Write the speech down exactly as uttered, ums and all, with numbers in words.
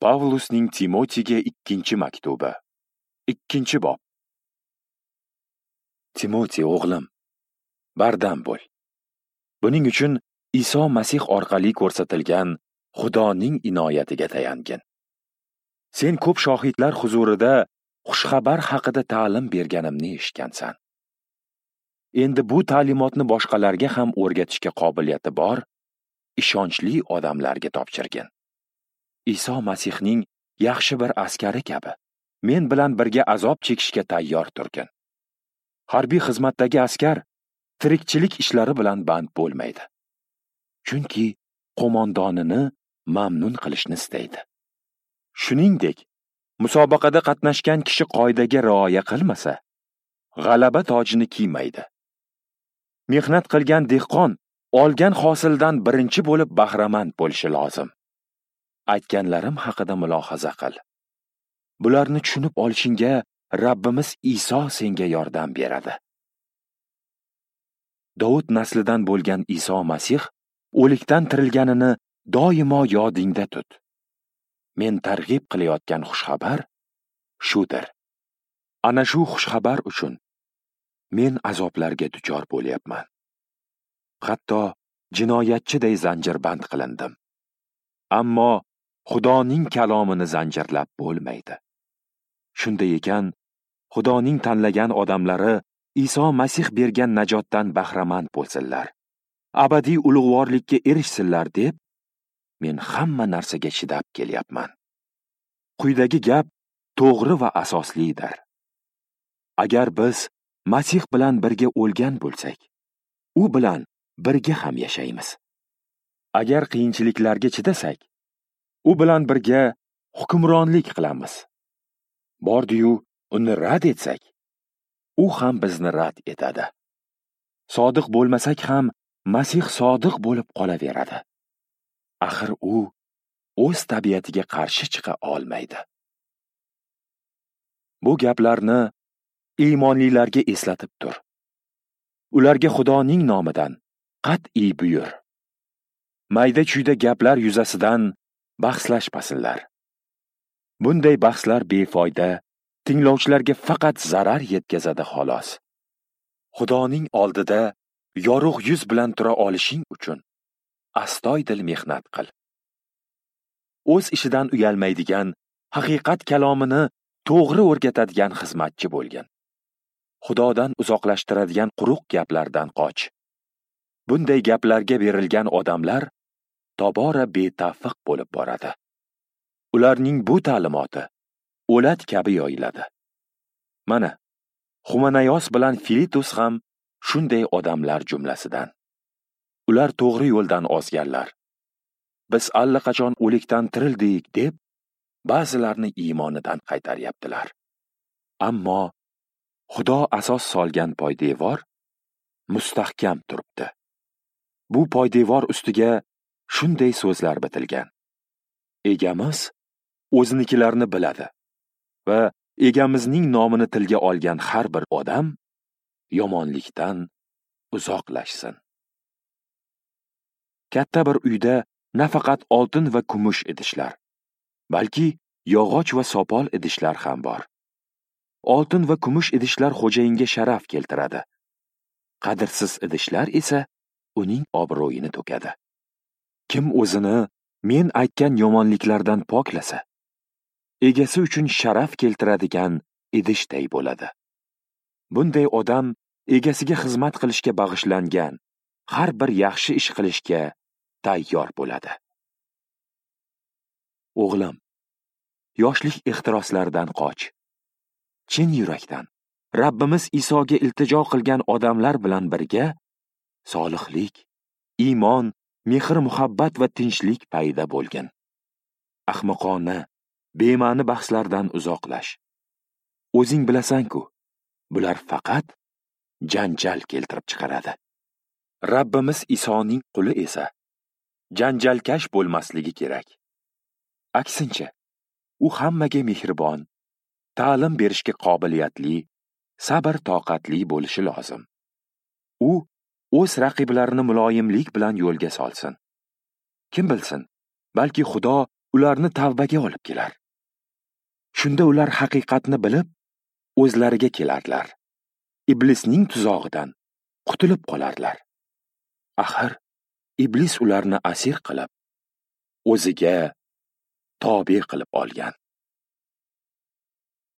Pavlusning Timotiga ikkinchi maktubi. Ikkinchi bob. Timoti o'g'lim, bardam bo'l. Buning uchun Iso Masih orqali ko'rsatilgan Xudoning inoyatiga tayangin. Sen ko'p shohidlar huzurida xushxabar haqida ta'lim berganimni eshitgansan. Endi bu ta'limotni boshqalarga ham o'rgatishga qobiliyati bor, ishonchli odamlarga topshirgin. Iso Masihning yaxshi bir askari kabi men bilan birga azob chekishga tayyor turgin. Harbiy xizmatdagi askar tirikchilik ishlari bilan band bo'lmaydi. Chunki qo'mondonini mamnun qilishni istaydi. Shuningdek, musobaqada qatnashgan kishi qoidaga rioya qilmasa, g'alaba tojini kiymaydi. Mehnat qilgan dehqon olgan hosildan birinchi bo'lib bahramand bo'lishi lozim. Aytganlarim haqida mulohaza qil. Bularni tushunib olishingga Rabbimiz Iso senga yordam beradi. Davud naslidan bo'lgan Iso Masih o'likdan tirilganini doimo yodingda tut. Men targ'ib qilayotgan xushxabar shudir. Ana shu xushxabar uchun men azoblarga duchor bo'lyapman. Hatto jinoyatchiday zanjirband qilindim. Ammo Xudoning kalomini zanjirlab bo'lmaydi. Shunday ekan, Xudoning tanlagan odamlari Iso Masih bergan najotdan bahramand bo'lsinlar, abadiy ulug'vorlikka erishsinlar deb men hamma narsaga chidab kelyapman. Quyidagi gap to'g'ri va asoslidir. Agar biz Masih bilan birga o'lgan bo'lsak, u bilan birga ham yashaymiz. Agar qiyinchiliklarga chidasak, u bilan birga hukmronlik qilamiz. Bordi-yu uni rad etsak, u ham bizni rad etadi. Sodiq bo'lmasak ham Masih sodiq bo'lib qolaveradi. Axir u o'z tabiatiga qarshi chiqa olmaydi. Bu gaplarni iymonlilarga eslatib tur. Ularga Xudoning nomidan qat'iy buyur. Mayda-chuyda gaplar yuzasidan bahslashmasinlar. Bunday bahslar befoyda, tinglovchilarga faqat zarar yetkazadi xolos. Xudoning oldida yorug' yuz bilan tura olishing uchun astoydil mehnat qil. O'z ishidan uyalmaydigan, haqiqat kalomini to'g'ri o'rgatadigan xizmatchi bo'lgin. Xudodan uzoqlashtiradigan quruq gaplardan qoch. Bunday gaplarga berilgan odamlar tobora betavfiq bo'lib boradi. Ularning bu ta'limoti o'lat kabi yoyiladi. Mana, Xumanayos bilan Filitus ham shunday odamlar jumlasidan. Ular to'g'ri yo'ldan ozganlar. Biz allaqachon o'likdan tirildik deb ba'zilarni iymonidan qaytaryaptilar. Ammo Xudo asos solgan poydevor mustahkam turibdi. Bu poydevor ustiga shunday so'zlar bitilgan: Egamiz o'zinikilarni biladi va egamizning nomini tilga olgan har bir odam yomonlikdan uzoqlashsin. Katta bir uyda nafaqat oltin va kumush idishlar, balki yog'och va sopol idishlar ham bor. Oltin va kumush idishlar xo'jayinga sharaf keltiradi. Qadrsiz idishlar esa uning obro'yini to'kadi. Kim o'zini men aytgan yomonliklardan poklasa, egasi uchun sharaf keltiradigan idishday bo'ladi. Bunday odam egasiga xizmat qilishga bag'ishlangan, har bir yaxshi ish qilishga tayyor bo'ladi. O'g'lim, yoshlik ehtiroslaridan qoch. Chin yurakdan Rabbimiz Isoga iltijo qilgan odamlar bilan birga solihlik, iymon, mehr-muhabbat va tinchlik paydo bo'lgin. Ahmoqona, bema'ni bahslardan uzoqlash. O'zing bilasan-ku, bular faqat janjal keltirib chiqaradi. Rabbimiz Isoning quli esa janjalkash bo'lmasligi kerak. Aksincha, u hammaga mehribon, ta'lim berishga qobiliyatli, sabr-toqatli bo'lishi lozim. U o'z raqiblarini muloyimlik bilan yo'lga solsin. Kim bilsin, balki Xudo ularni tavbaga olib kelar. Shunda ular haqiqatni bilib, o'zlariga kelarlar. Iblisning tuzog'idan qutulib qolarlar. Axir iblis ularni asir qilib, o'ziga tobe qilib olgan.